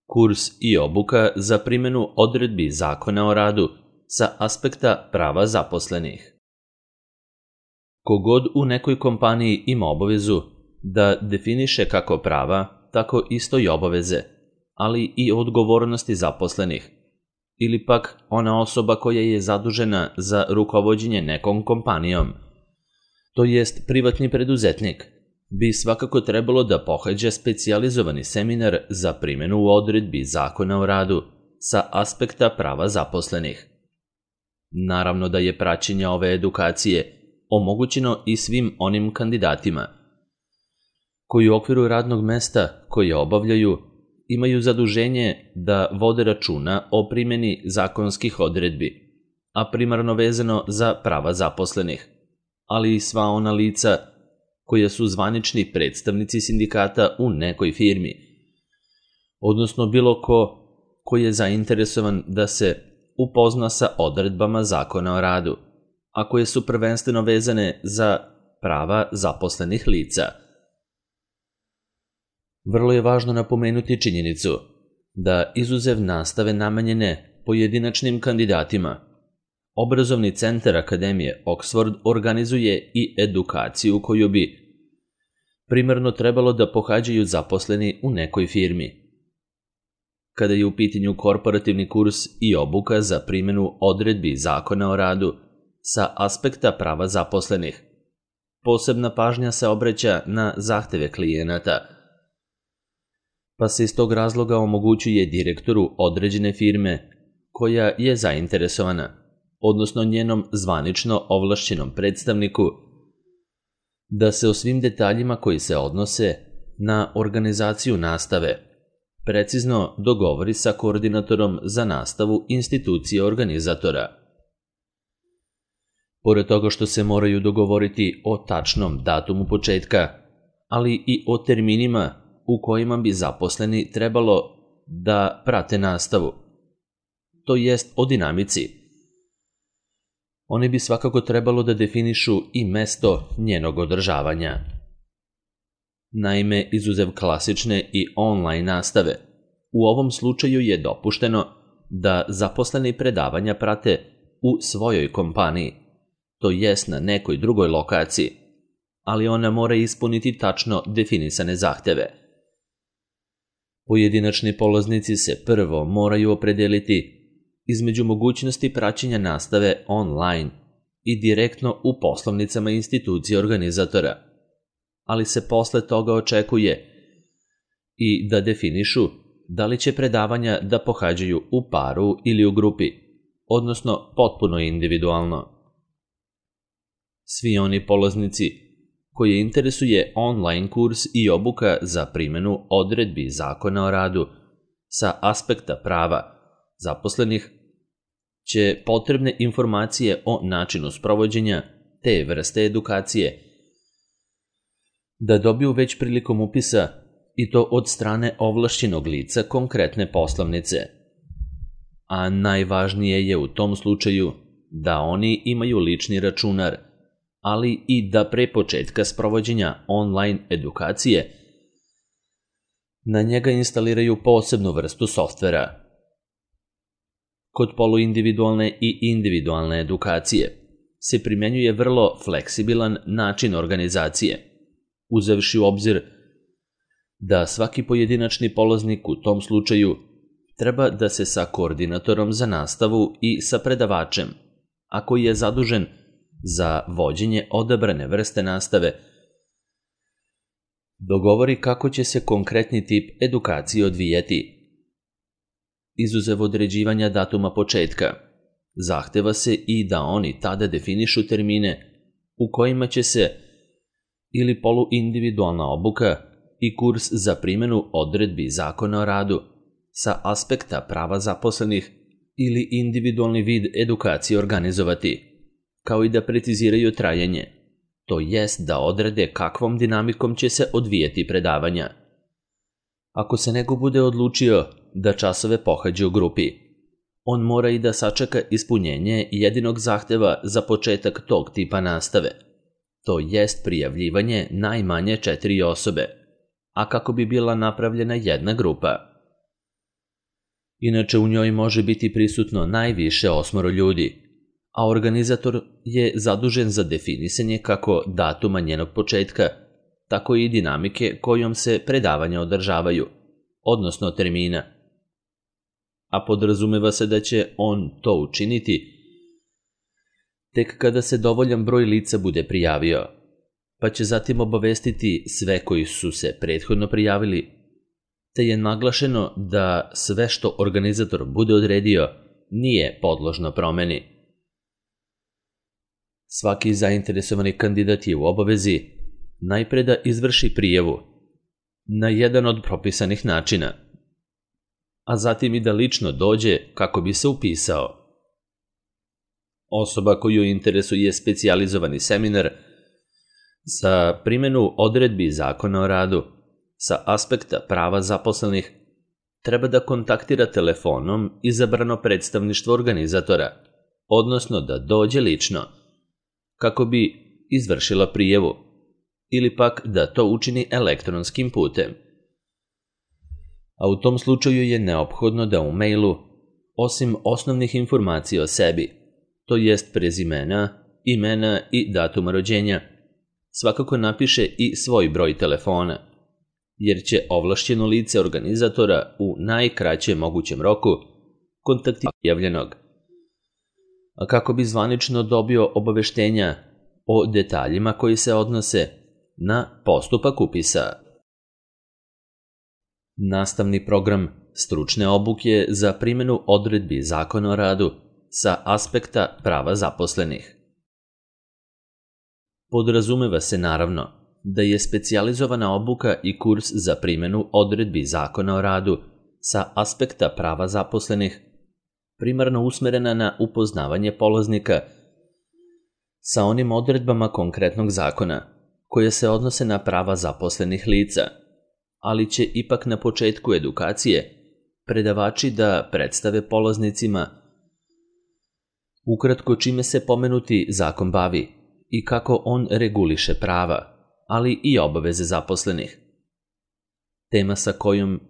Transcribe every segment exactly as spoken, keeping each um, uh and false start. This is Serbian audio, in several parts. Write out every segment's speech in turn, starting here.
Kurs i obuka za primjenu odredbi Zakona o radu sa aspekta prava zaposlenih. Kogod u nekoj kompaniji ima obavezu da definiše kako prava, tako isto i obaveze, ali i odgovornosti zaposlenih, ili pak ona osoba koja je zadužena za rukovođenje nekom kompanijom, to jest privatni preduzetnik, bi svakako trebalo da pohađa specijalizovani seminar za primjenu odredbi Zakona o radu sa aspekta prava zaposlenih. Naravno da je praćenje ove edukacije omogućeno i svim onim kandidatima koji u okviru radnog mesta koje obavljaju imaju zaduženje da vode računa o primjeni zakonskih odredbi, a primarno vezano za prava zaposlenih, ali i sva ona lica koja su zvanični predstavnici sindikata u nekoj firmi, odnosno bilo ko koji je zainteresovan da se upozna sa odredbama Zakona o radu, a koje su prvenstveno vezane za prava zaposlenih lica. Vrlo je važno napomenuti činjenicu da izuzev nastave namenjene pojedinačnim kandidatima, Obrazovni centar Akademije Oxford organizuje i edukaciju koju bi primarno trebalo da pohađaju zaposleni u nekoj firmi. Kada je u pitanju korporativni kurs i obuka za primjenu odredbi Zakona o radu sa aspekta prava zaposlenih, posebna pažnja se obraća na zahteve klijenata, pa se iz tog razloga omogućuje direktoru određene firme koja je zainteresovana, odnosno njenom zvanično ovlašćenom predstavniku, da se o svim detaljima koji se odnose na organizaciju nastave precizno dogovori sa koordinatorom za nastavu institucije organizatora. Pored toga što se moraju dogovoriti o tačnom datumu početka, ali i o terminima u kojima bi zaposleni trebalo da prate nastavu, to jest o dinamici. Oni bi svakako trebalo da definišu i mesto njenog održavanja. Naime, izuzev klasične i online nastave, u ovom slučaju je dopušteno da zaposleni predavanja prate u svojoj kompaniji, to jest na nekoj drugoj lokaciji, ali ona mora ispuniti tačno definisane zahteve. Pojedinačni polaznici se prvo moraju opredeliti između mogućnosti praćenja nastave online i direktno u poslovnicama institucije organizatora, ali se posle toga očekuje i da definišu da li će predavanja da pohađaju u paru ili u grupi, odnosno potpuno individualno. Svi oni polaznici koje interesuje online kurs i obuka za primjenu odredbi Zakona o radu sa aspekta prava zaposlenih će potrebne informacije o načinu sprovođenja te vrste edukacije da dobiju već prilikom upisa, i to od strane ovlašćenog lica konkretne poslovnice. A najvažnije je u tom slučaju da oni imaju lični računar, ali i da pre početka sprovođenja online edukacije na njega instaliraju posebnu vrstu softvera. Kod poluindividualne i individualne edukacije se primjenjuje vrlo fleksibilan način organizacije, uzevši u obzir da svaki pojedinačni polaznik u tom slučaju treba da se sa koordinatorom za nastavu i sa predavačem, a koji je zadužen za vođenje odabrane vrste nastave, dogovori kako će se konkretni tip edukacije odvijati. Izuzev određivanja datuma početka, zahteva se i da oni tada definišu termine u kojima će se ili poluindividualna obuka i kurs za primjenu odredbi Zakona o radu sa aspekta prava zaposlenih ili individualni vid edukacije organizovati, kao i da preciziraju trajanje, to jest da odrede kakvom dinamikom će se odvijati predavanja. Ako se neko bude odlučio da časove pohađa u grupi, on mora i da sačeka ispunjenje jedinog zahteva za početak tog tipa nastave, to jest prijavljivanje najmanje četiri osobe, a kako bi bila napravljena jedna grupa. Inače u njoj može biti prisutno najviše osmoro ljudi, a organizator je zadužen za definisanje kako datuma njenog početka, tako i dinamike kojom se predavanja održavaju, odnosno termina. A podrazumeva se da će on to učiniti tek kada se dovoljan broj lica bude prijavio, pa će zatim obavestiti sve koji su se prethodno prijavili, te je naglašeno da sve što organizator bude odredio nije podložno promeni. Svaki zainteresovani kandidat je u obavezi najpre da izvrši prijavu na jedan od propisanih načina, a zatim i da lično dođe kako bi se upisao. Osoba koju interesuje specijalizovani seminar za primjenu odredbi Zakona o radu sa aspekta prava zaposlenih treba da kontaktira telefonom izabrano predstavništvo organizatora, odnosno da dođe lično, kako bi izvršila prijavu, ili pak da to učini elektronskim putem. A u tom slučaju je neophodno da u mailu, osim osnovnih informacija o sebi, to jest prezimena, imena i datuma rođenja, svakako napiše i svoj broj telefona, jer će ovlašćeno lice organizatora u najkraćem mogućem roku kontaktirati prijavljenog, a kako bi zvanično dobio obaveštenja o detaljima koji se odnose na postupak upisa. Nastavni program stručne obuke za primjenu odredbi Zakona o radu sa aspekta prava zaposlenih. Podrazumeva se naravno da je specijalizovana obuka i kurs za primjenu odredbi Zakona o radu sa aspekta prava zaposlenih primarno usmerena na upoznavanje polaznika sa onim odredbama konkretnog zakona koje se odnose na prava zaposlenih lica, ali će ipak na početku edukacije predavači da predstave polaznicima ukratko čime se pomenuti zakon bavi i kako on reguliše prava, ali i obaveze zaposlenih. Tema sa kojom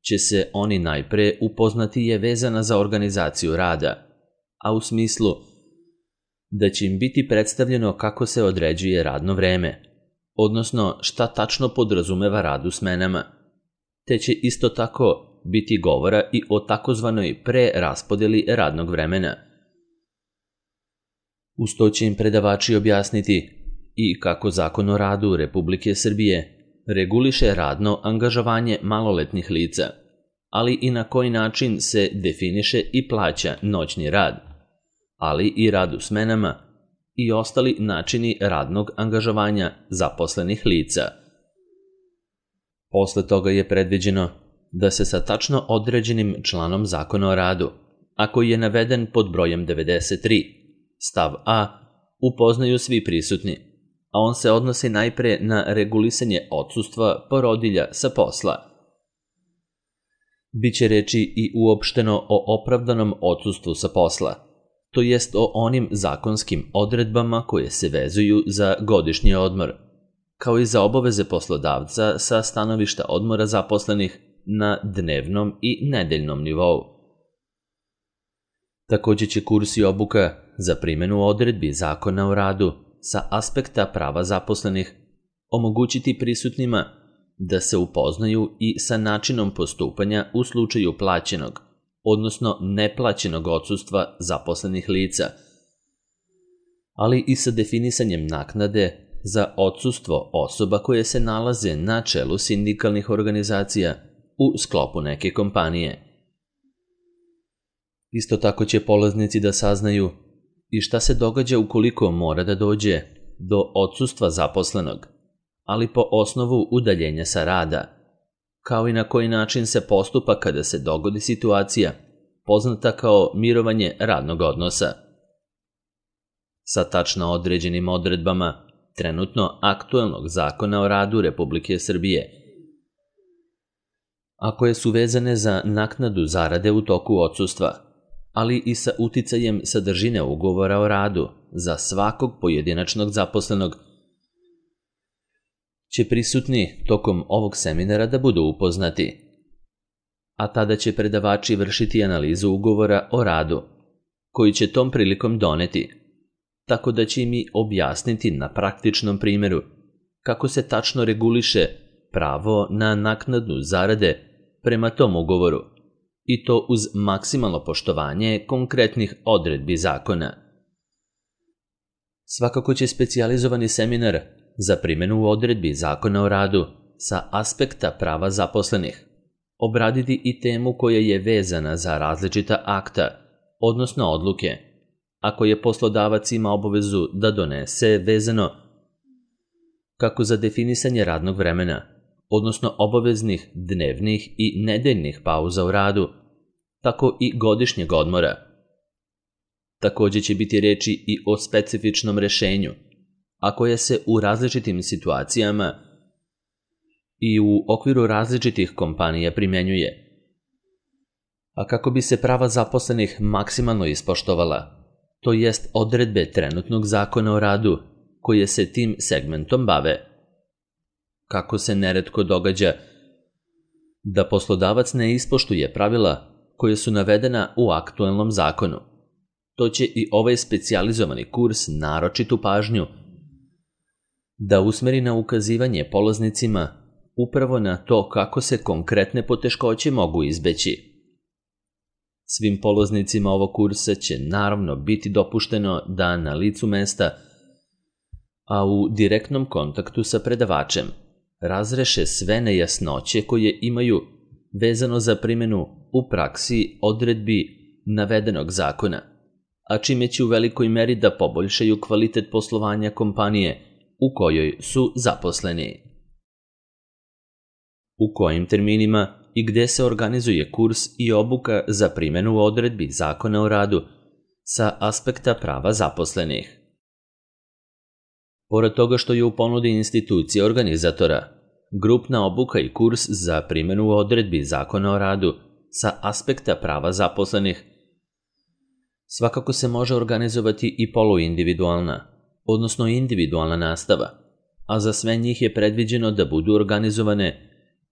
će se oni najpre upoznati je vezana za organizaciju rada, a u smislu da će im biti predstavljeno kako se određuje radno vreme, odnosno šta tačno podrazumeva rad u smenama, te će isto tako biti govora i o takozvanoj preraspodeli radnog vremena. Uz to će im predavači objasniti i kako Zakon o radu Republike Srbije reguliše radno angažovanje maloletnih lica, ali i na koji način se definiše i plaća noćni rad, ali i rad u smenama i ostali načini radnog angažovanja zaposlenih lica. Posle toga je predviđeno da se sa tačno određenim članom Zakona o radu, a koji je naveden pod brojem devedeset tri, stav A, upoznaju svi prisutni, a on se odnosi najpre na regulisanje odsustva porodilja sa posla. Biće reči i uopšteno o opravdanom odsustvu sa posla, to jest o onim zakonskim odredbama koje se vezuju za godišnji odmor, kao i za obaveze poslodavca sa stanovišta odmora zaposlenih na dnevnom i nedeljnom nivou. Takođe će kurs i obuka za primjenu odredbi Zakona o radu sa aspekta prava zaposlenih omogućiti prisutnima da se upoznaju i sa načinom postupanja u slučaju plaćenog, odnosno neplaćenog odsustva zaposlenih lica, ali i sa definisanjem naknade za odsustvo osoba koje se nalaze na čelu sindikalnih organizacija u sklopu neke kompanije. Isto tako će polaznici da saznaju i šta se događa ukoliko mora da dođe do odsustva zaposlenog, ali po osnovu udaljenja sa rada, kao i na koji način se postupa kada se dogodi situacija poznata kao mirovanje radnog odnosa. Sa tačno određenim odredbama trenutno aktuelnog Zakona o radu Republike Srbije, a koje su vezane za naknadu zarade u toku odsustva, ali i sa uticajem sadržine ugovora o radu za svakog pojedinačnog zaposlenog, će prisutni tokom ovog seminara da budu upoznati. a tada će predavači vršiti analizu ugovora o radu, koji će tom prilikom doneti, tako da će im i objasniti na praktičnom primjeru kako se tačno reguliše pravo na naknadu zarade prema tom ugovoru, i to uz maksimalno poštovanje konkretnih odredbi zakona. Svakako će specijalizovani seminar za primjenu odredbi zakona o radu sa aspekta prava zaposlenih obraditi i temu koja je vezana za različita akta, odnosno odluke, ako je poslodavac ima obavezu da donese vezano kako za definisanje radnog vremena, odnosno obaveznih dnevnih i nedeljnih pauza u radu, tako i godišnjeg odmora. Također će biti reči i o specifičnom rešenju, a koje se u različitim situacijama i u okviru različitih kompanija primjenjuje. A kako bi se prava zaposlenih maksimalno ispoštovala, to jest odredbe trenutnog zakona o radu koje se tim segmentom bave. Kako se neretko događa da poslodavac ne ispoštuje pravila koje su navedena u aktuelnom zakonu, to će i ovaj specijalizovani kurs naročitu pažnju da usmeri na ukazivanje polaznicima upravo na to kako se konkretne poteškoće mogu izbeći. Svim polaznicima ovog kursa će naravno biti dopušteno da na licu mesta, a u direktnom kontaktu sa predavačem, razreše sve nejasnoće koje imaju vezano za primjenu u praksi odredbi navedenog zakona, a čime će u velikoj meri da poboljšaju kvalitet poslovanja kompanije u kojoj su zaposleni. U kojim terminima i gde se organizuje kurs i obuka za primjenu odredbi zakona o radu sa aspekta prava zaposlenih. Pored toga što je u ponudi institucije organizatora, grupna obuka i kurs za primjenu odredbi zakona o radu sa aspekta prava zaposlenih, svakako se može organizovati i poluindividualna, odnosno individualna nastava, a za sve njih je predviđeno da budu organizovane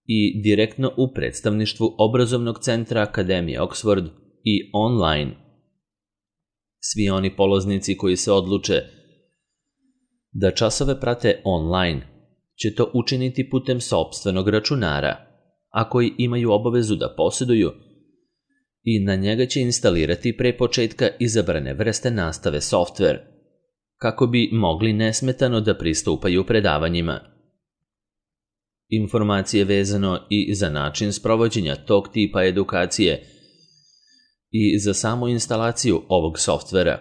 i direktno u predstavništvu obrazovnog centra Akademije Oxford i online. Svi oni polaznici koji se odluče da časove prate online će to učiniti putem sopstvenog računara, a koji imaju obavezu da posjeduju, i na njega će instalirati pre početka izabrane vrste nastave softver, kako bi mogli nesmetano da pristupaju predavanjima. Informacije vezano i za način sprovođenja tog tipa edukacije i za samu instalaciju ovog softvera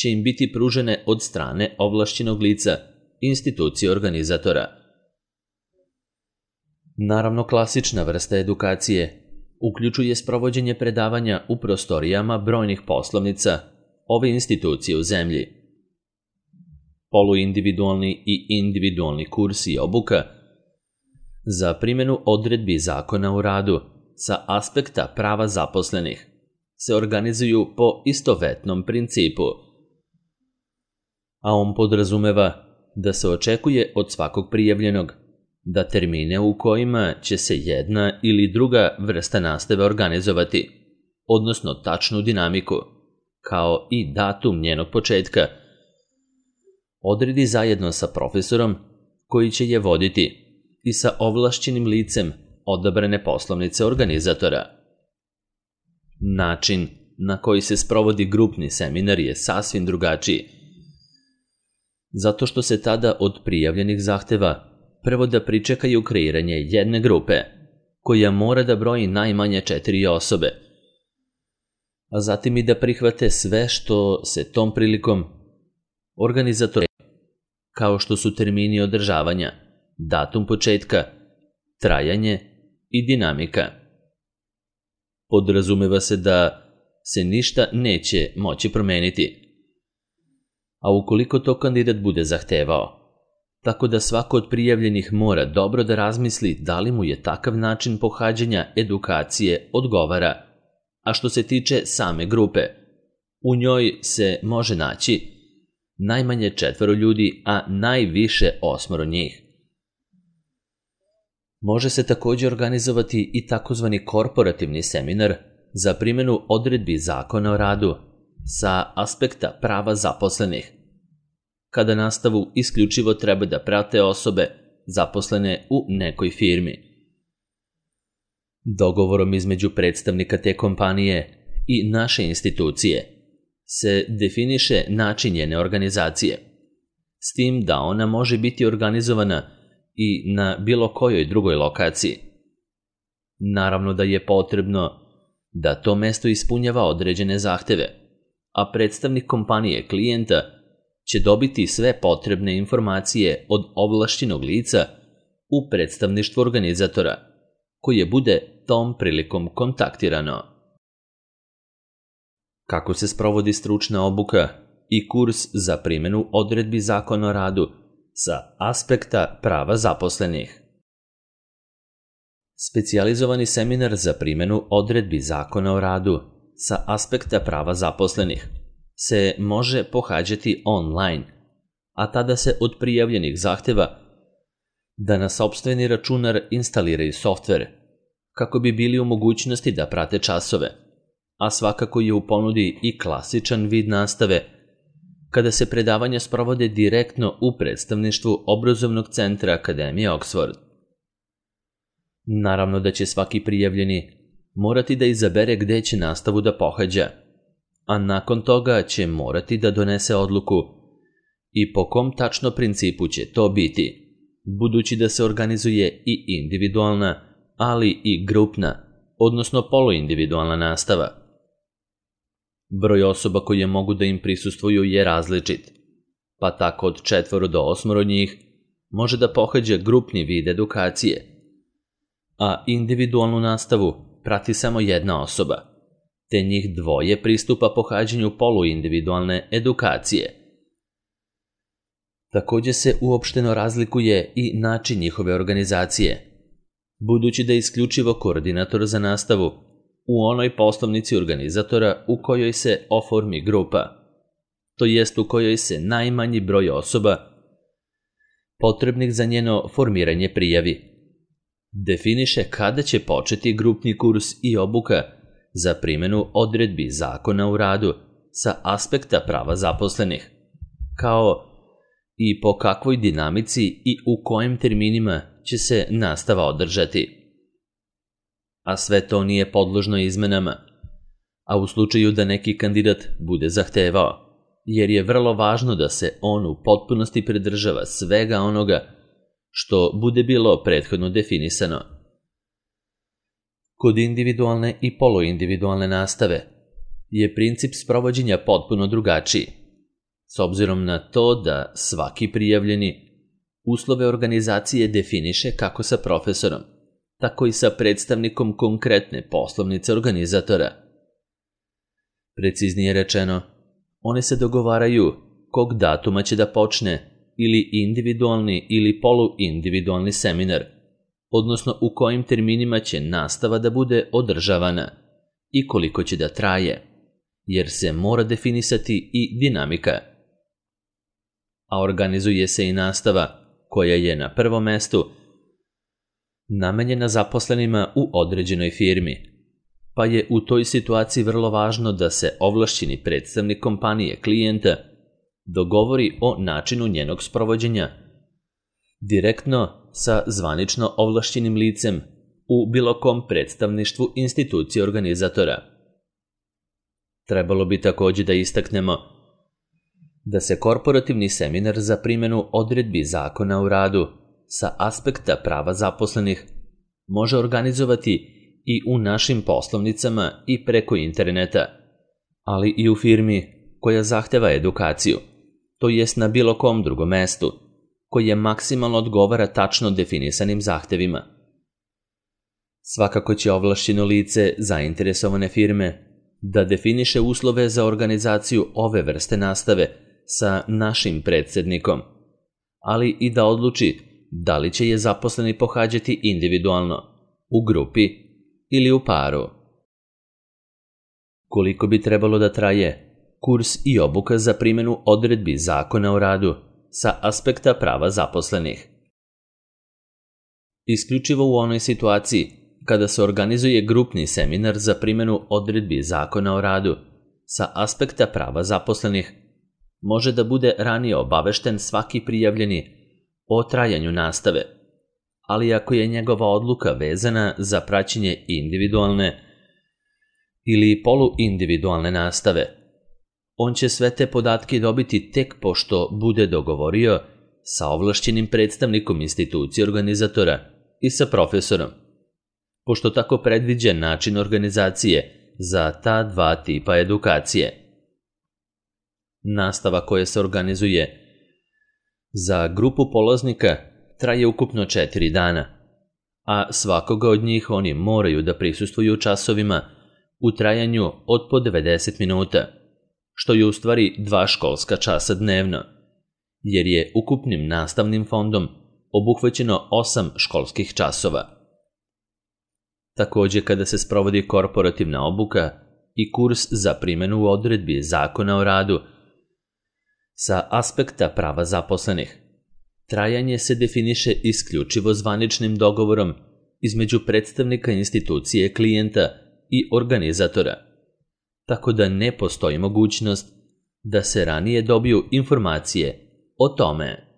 će im biti pružene od strane ovlašćenog lica institucije organizatora. Naravno, klasična vrsta edukacije uključuje sprovođenje predavanja u prostorijama brojnih poslovnica ove institucije u zemlji. Poluindividualni i individualni kurs i obuka za primjenu odredbi zakona o radu sa aspekta prava zaposlenih se organizuju po istovetnom principu, a on podrazumeva da se očekuje od svakog prijavljenog da termine u kojima će se jedna ili druga vrsta nastave organizovati, odnosno tačnu dinamiku, kao i datum njenog početka, odredi zajedno sa profesorom koji će je voditi i sa ovlašćenim licem odabrane poslovnice organizatora. Način na koji se sprovodi grupni seminar je sasvim drugačiji, zato što se tada od prijavljenih zahteva prvo da pričekaju kreiranje jedne grupe, koja mora da broji najmanje četiri osobe, a zatim i da prihvate sve što se tom prilikom organizatori, kao što su termini održavanja, datum početka, trajanje i dinamika. Podrazumeva se da se ništa neće moći promeniti, a ukoliko to kandidat bude zahtevao, tako da svako od prijavljenih mora dobro da razmisli da li mu je takav način pohađanja edukacije odgovara. A što se tiče same grupe, u njoj se može naći najmanje četvoro ljudi, a najviše osmoro njih. Može se također organizovati i takozvani korporativni seminar za primjenu odredbi Zakona o radu sa aspekta prava zaposlenih, kada nastavu isključivo treba da prate osobe zaposlene u nekoj firmi. Dogovorom između predstavnika te kompanije i naše institucije se definiše način njene organizacije, s tim da ona može biti organizovana i na bilo kojoj drugoj lokaciji. Naravno da je potrebno da to mesto ispunjava određene zahteve, a predstavnik kompanije klijenta će dobiti sve potrebne informacije od ovlašćenog lica u predstavništvu organizatora, koje bude tom prilikom kontaktirano. Kako se sprovodi stručna obuka i kurs za primjenu odredbi Zakona o radu sa aspekta prava zaposlenih? Specijalizovani seminar za primjenu odredbi Zakona o radu sa aspekta prava zaposlenih se može pohađati online, a tada se od prijavljenih zahteva da na sopstveni računar instaliraju softver, kako bi bili u mogućnosti da prate časove, a svakako je u ponudi i klasičan vid nastave, kada se predavanja sprovode direktno u predstavništvu obrazovnog centra Akademije Oxford. Naravno da će svaki prijavljeni morati da izabere gde će nastavu da pohađa, a nakon toga će morati da donese odluku i po kom tačno principu će to biti, budući da se organizuje i individualna, ali i grupna, odnosno poluindividualna nastava. Broj osoba koje mogu da im prisustvuju je različit, pa tako od četvoro do osmoro njih može da pohađa grupni vid edukacije, a individualnu nastavu prati samo jedna osoba, te njih dvoje pristupa pohađanju poluindividualne edukacije. Također se uopšteno razlikuje i način njihove organizacije, budući da je isključivo koordinator za nastavu u onoj poslovnici organizatora u kojoj se oformi grupa, to jest u kojoj se najmanji broj osoba potrebnih za njeno formiranje prijavi. Definiše kada će početi grupni kurs i obuka za primjenu odredbi Zakona o radu sa aspekta prava zaposlenih, kao i po kakvoj dinamici i u kojim terminima će se nastava održati. A sve to nije podložno izmenama, a u slučaju da neki kandidat bude zahtevao, jer je vrlo važno da se on u potpunosti pridržava svega onoga što bude bilo prethodno definisano. Kod individualne i poluindividualne nastave je princip sprovođenja potpuno drugačiji, s obzirom na to da svaki prijavljeni uslove organizacije definiše kako sa profesorom, tako i sa predstavnikom konkretne poslovnice organizatora. Preciznije rečeno, one se dogovaraju kog datuma će da počne ili individualni ili poluindividualni seminar, odnosno u kojim terminima će nastava da bude održavana i koliko će da traje, jer se mora definisati i dinamika. A organizuje se i nastava koja je na prvom mestu namenjena zaposlenima u određenoj firmi, pa je u toj situaciji vrlo važno da se ovlašćeni predstavnik kompanije klijenta dogovori o načinu njenog sprovođenja direktno sa zvanično ovlašćenim licem u bilo kom predstavništvu institucije organizatora. Trebalo bi također da istaknemo da se korporativni seminar za primjenu odredbi Zakona o radu sa aspekta prava zaposlenih može organizovati i u našim poslovnicama i preko interneta, ali i u firmi koja zahteva edukaciju, to jest na bilo kom drugom mestu, koje maksimalno odgovara tačno definisanim zahtevima. Svakako će ovlašćeno lice zainteresovane firme da definiše uslove za organizaciju ove vrste nastave sa našim predsjednikom, ali i da odluči da li će je zaposleni pohađati individualno, u grupi ili u paru. Koliko bi trebalo da traje kurs i obuka za primjenu odredbi Zakona o radu sa aspekta prava zaposlenih? Isključivo u onoj situaciji kada se organizuje grupni seminar za primjenu odredbi Zakona o radu sa aspekta prava zaposlenih, može da bude ranije obavešten svaki prijavljeni o trajanju nastave, ali ako je njegova odluka vezana za praćenje individualne ili poluindividualne nastave, on će sve te podatke dobiti tek pošto bude dogovorio sa ovlašćenim predstavnikom institucije organizatora i sa profesorom, pošto tako predviđa način organizacije za ta dva tipa edukacije. Nastava koja se organizuje za grupu polaznika traje ukupno četiri dana, a svakoga od njih oni moraju da prisustvuju časovima u trajanju od po devedeset minuta, što je u stvari dva školska časa dnevno, jer je ukupnim nastavnim fondom obuhvaćeno osam školskih časova. Takođe, kada se sprovodi korporativna obuka i kurs za primjenu odredbi Zakona o radu sa aspekta prava zaposlenih, trajanje se definiše isključivo zvaničnim dogovorom između predstavnika institucije klijenta i organizatora, tako da ne postoji mogućnost da se ranije dobiju informacije o tome.